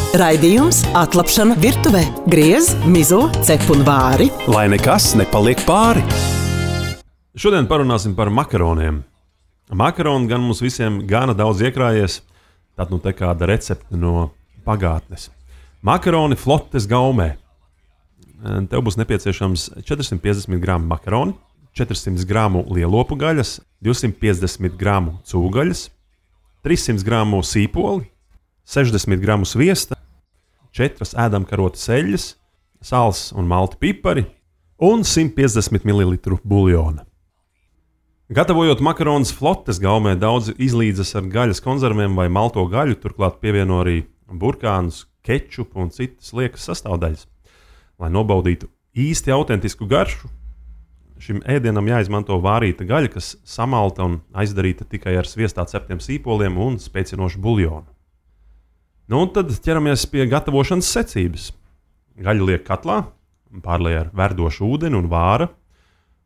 Raidījums Atlapšana virtuvē. Griez, mizo, cep un vāri. Lai nekas nepaliek pāri. Šodien parunāsim par makaroniem. Makaroni gan mums visiem gana daudz iekrājies, tad nu te kāda recepte no pagātnes. Makaroni flotes gaumē. Tev būs nepieciešams 450 gramu makaroni, 400 gramu lielopu gaļas, 250 gramu cūgaļas, 300 gramu sīpoli, 60 gramu sviesta, 4 ēdamkarotes eļļas, sāls un malti pipari un 150 ml buļļona. Gatavojot makaronus flotes gaumē, daudzi izlīdzas ar gaļas konzerviem vai malto gaļu, turklāt pievieno arī burkānus, kečupu un citas liekas sastāvdaļas. Lai nobaudītu īsti autentisku garšu, šim ēdienam jāizmanto vārīta gaļa, kas samalta un aizdarīta tikai ar sviestā ceptiem sīpoliem un spēcinošu buļļonu. Nu, un tad ķeramies pie gatavošanas secības. Gaļu liek katlā, pārliek ar verdošu ūdeni un vāra,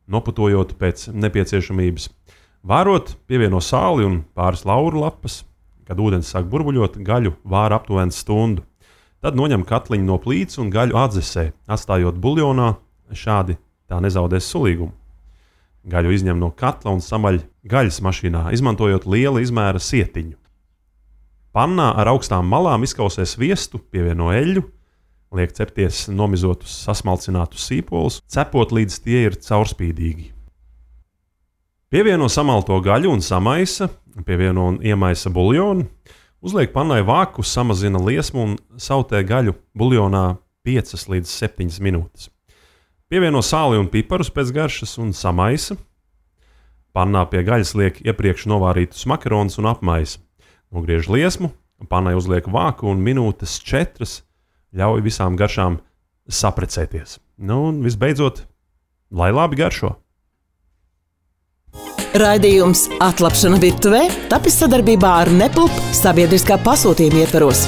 noputojot pēc nepieciešamības. Vārot, pievieno sāli un pāris lauru lapas. Kad ūdens sāk burbuļot, gaļu vāra aptuveni stundu. Tad noņem katliņu no plīts un gaļu atdzesē, atstājot buļļonā, šādi tā nezaudēs sulīgumu. Gaļu izņem no katla un samaļ gaļas mašīnā, izmantojot liela izmēra sietiņu. Pannā ar augstām malām izkausē sviestu, pievieno eļļu, liek cepties nomizotus sasmalcinātus sīpolus, cepot līdz tie ir caurspīdīgi. Pievieno samalto gaļu un samaisa, pievieno un iemaisa buļļonu, uzliek pannai vāku, samazina liesmu un sautē gaļu buļļonā 5 līdz 7 minūtes. Pievieno sāli un piparus pēc garšas un samaisa. Pannā pie gaļas liek iepriekš novārītus makaronus un apmaisa. Nogriež liesmu, pannai uzliek vāku un minūtes 4 ļauj visām garšām saprecēties. Nu un visbeidzot, lai labi garšo. Raidījums Atlapšana virtuvē tapis sadarbībā ar Nepulp sabiedriskā pasūtījuma ietvaros.